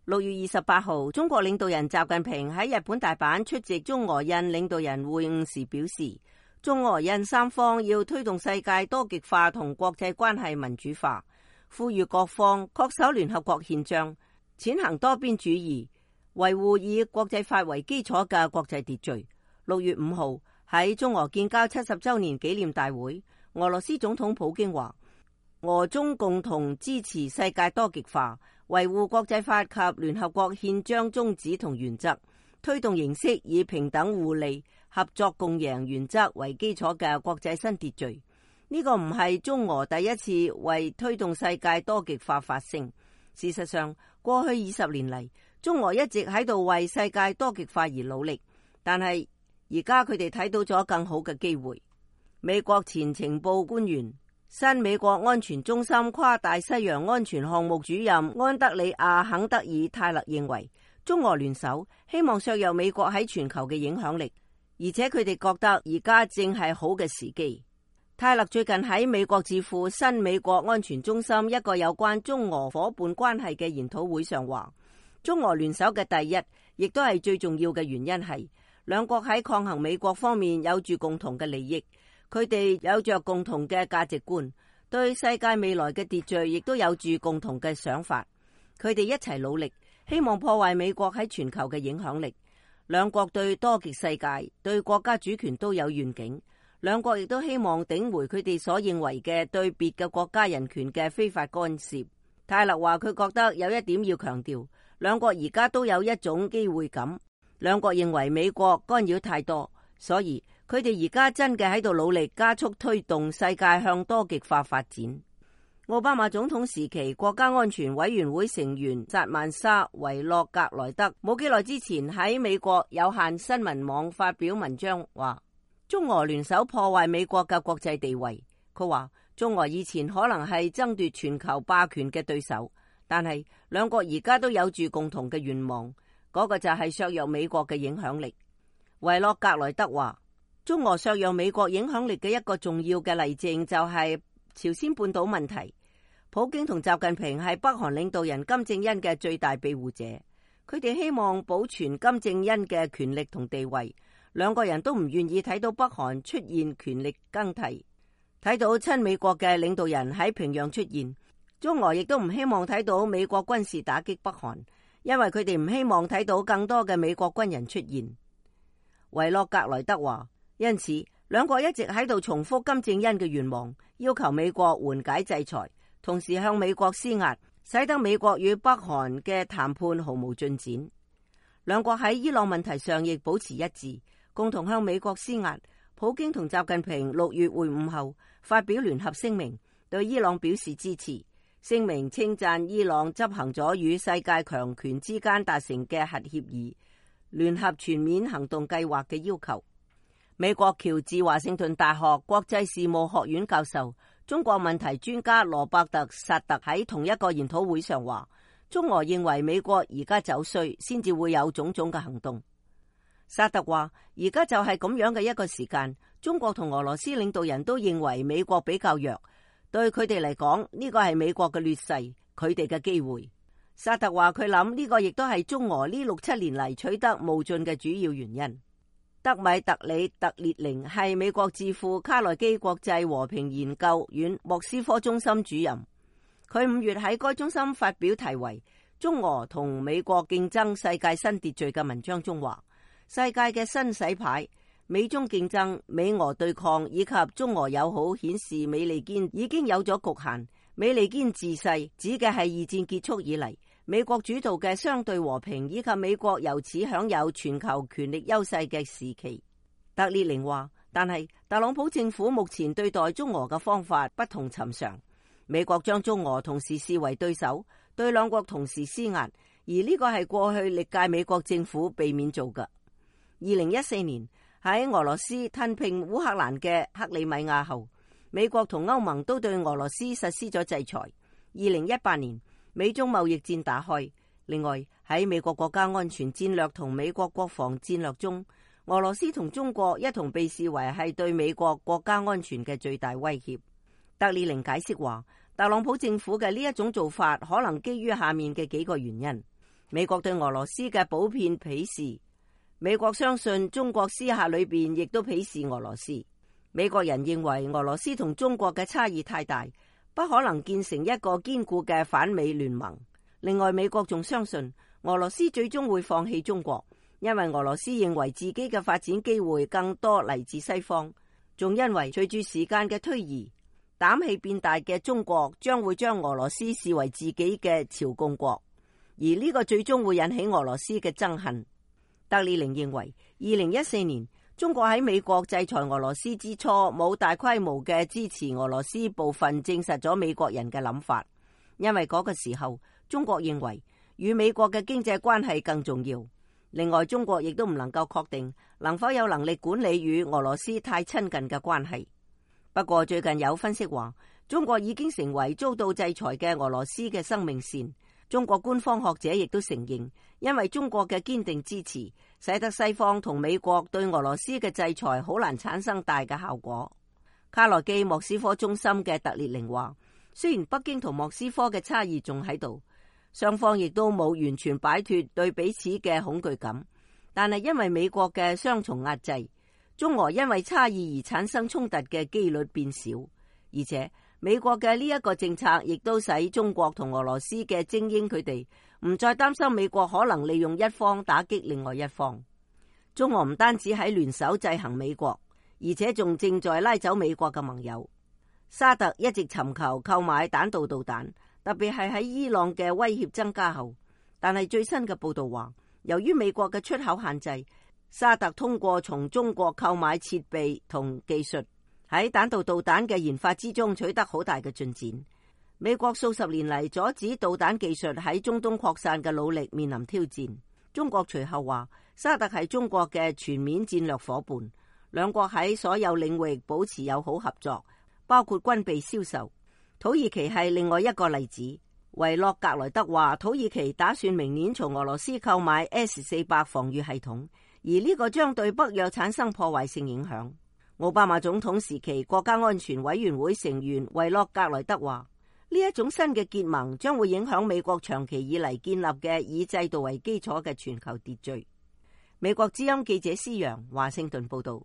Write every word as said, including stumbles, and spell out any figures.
六月二十八號，中國領導人習近平喺日本大阪出席中俄印領導人會晤時表示，中俄印三方要推動世界多極化同國際關係民主化，呼籲各方恪守聯合國憲章，踐行多邊主義，維護以國際法為基礎嘅國際秩序。六月五號喺中俄建交七十周年紀念大會，俄羅斯總統普京話，俄中共同支持世界多極化，維護國際法及聯合國憲章宗旨同原則，推動形式以平等互利、合作共贏原則為基礎嘅國際新秩序。呢個唔係中俄第一次為推動世界多極化發聲。事實上，過去二十年嚟，中俄一直喺度為世界多極化而努力，但係而家佢哋睇到咗更好嘅機會。美國前情報官員、新美國安全中心跨大西洋安全項目主任安德里亞·肯德爾泰勒認為，中俄聯手希望削弱美國喺全球嘅影響力，而且佢哋覺得而家正係好嘅時機。泰勒最近喺美國智庫新美國安全中心一個有關中俄夥伴關係嘅研討會上話，中俄聯手嘅第一，亦都係最重要嘅原因係，兩國喺抗衡美國方面有住共同嘅利益，佢哋有着共同嘅價值觀，對世界未來嘅秩序亦都有住共同嘅想法，佢哋一齊努力，希望破壞美國喺全球嘅影響力。兩國對多極世界、對國家主權都有願景。兩國亦都希望頂回佢哋所認為嘅對別嘅國家人權嘅非法干涉。泰勒話佢覺得有一點要強調，兩國而家都有一種機會感。兩國認為美國干擾太多，所以佢哋而家真嘅喺度努力加速推動世界向多極化發展。奧巴馬總統時期，國家安全委員會成員薩曼莎·維洛格萊德冇幾耐之前喺美國有線新聞網發表文章話，中俄聯手破壞美國嘅國際地位。佢話中俄以前可能係爭奪全球霸權嘅對手，但係兩國而家都有住共同嘅願望，嗰個就係削弱美國嘅影響力。維洛格萊德話，中俄削弱美國影響力嘅一個重要嘅例證就係朝鮮半島問題。普京同習近平係北韓領導人金正恩嘅最大庇護者，佢哋希望保存金正恩嘅權力同地位。兩個人都唔願意睇到北韓出現權力更替，睇到親美國嘅領導人喺平壤出現。中俄亦都唔希望睇到美國軍事打擊北韓，因為佢哋唔希望睇到更多嘅美國軍人出現。維洛格萊德話，因此兩國一直喺度重複金正恩嘅願望，要求美國緩解制裁，同時向美國施壓，使得美國與北韓嘅談判毫無進展。兩國喺伊朗問題上亦保持一致，共同向美國施壓。普京同習近平六月會晤後發表聯合聲明，對伊朗表示支持。聲明稱讚伊朗執行咗與世界強權之間達成嘅核協議、聯合全面行動計劃嘅要求。美國喬治華盛頓大學國際事務學院教授、中國問題專家羅伯特薩特喺同一個研討會上話，中俄認為美國而家走衰，先至會有種種嘅行動。薩特話，而家就係咁樣嘅一個時間，中國同俄羅斯領導人都認為美國比較弱，對佢哋嚟講，呢個係美國嘅劣勢，佢哋嘅機會。薩特話佢諗呢個亦都係中俄呢六七年嚟取得無盡嘅主要原因。德米特里特列寧係美國智庫卡內基國際和平研究院莫斯科中心主任，佢五月喺該中心發表題為《中俄同美國競爭世界新秩序》嘅文章中話，世界嘅新洗牌，美中競爭、美俄對抗以及中俄友好顯示美利堅已經有咗局限。美利堅自細指嘅係二戰結束以嚟美國主導嘅相對和平以及美國由此享有全球權力優勢嘅時期。特列寧話，但係特朗普政府目前對待中俄嘅方法不同尋常，美國將中俄同時視為對手，對兩國同時施壓，而呢個係過去歷屆美國政府避免做嘅。二零一四年喺俄羅斯吞併烏克蘭嘅克里米亞後，美國同歐盟都對俄羅斯實施咗制裁。二零一八年美中貿易戰打開。另外喺美國國家安全戰略同美國國防戰略中，俄羅斯同中國一同被視為係對美國國家安全嘅最大威脅。特列寧解釋話，特朗普政府嘅呢一種做法可能基於下面嘅幾個原因。美國對俄羅斯嘅普遍鄙視，美國相信中國私下裏邊亦都鄙視俄羅斯。美國人認為俄羅斯同中國嘅差異太大，不可能建成一個堅固嘅反美聯盟。另外，美國仲相信俄羅斯最終會放棄中國，因為俄羅斯認為自己嘅發展機會更多嚟自西方，仲因為隨住時間嘅推移，膽氣變大嘅中國將會將俄羅斯視為自己嘅朝貢國，而呢個最終會引起俄羅斯嘅憎恨。德里寧認為，二零一四年中國喺美國制裁俄羅斯之初，冇大規模嘅支持俄羅斯部分，證實咗美國人嘅諗法。因為嗰個時候，中國認為與美國嘅經濟關係更重要。另外，中國亦都唔能夠確定能否有能力管理與俄羅斯太親近嘅關係。不過最近有分析話，中國已經成為遭到制裁嘅俄羅斯嘅生命線。中國官方學者亦都承認，因為中國嘅堅定支持，使得西方同美國對俄羅斯嘅制裁好難產生大嘅效果。卡內基莫斯科中心嘅特列寧話，雖然北京同莫斯科嘅差異仲喺度，雙方亦都冇完全擺脫對彼此嘅恐懼感，但係因為美國嘅雙重壓制，中俄因為差異而產生衝突嘅機率變少，而且美國嘅呢一個政策亦都使中國同俄羅斯嘅精英佢哋唔再擔心美國可能利用一方打擊另外一方。中俄唔單止喺聯手制衡美國，而且仲正在拉走美國嘅盟友。沙特一直尋求購買彈道導彈，特別係喺伊朗嘅威脅增加後，但係最新嘅報道話，由於美國嘅出口限制，沙特通過從中國購買設備同技術，喺彈道導彈嘅研發之中取得好大嘅進展。美國數十年嚟阻止導彈技術喺中東擴散嘅努力面臨挑戰。中國隨後話，沙特係中國嘅全面戰略夥伴，兩國喺所有領域保持友好合作，包括軍備銷售。土耳其係另外一個例子。維洛格萊德話，土耳其打算明年從俄羅斯購買 S 四百 防禦系統，而呢個將對北約產生破壞性影響。奧巴馬總統時期國家安全委員會成員維洛格萊德話，呢一種新嘅結盟將會影響美國長期以嚟建立嘅以制度為基礎嘅全球秩序。美國之音記者施洋華盛頓報道。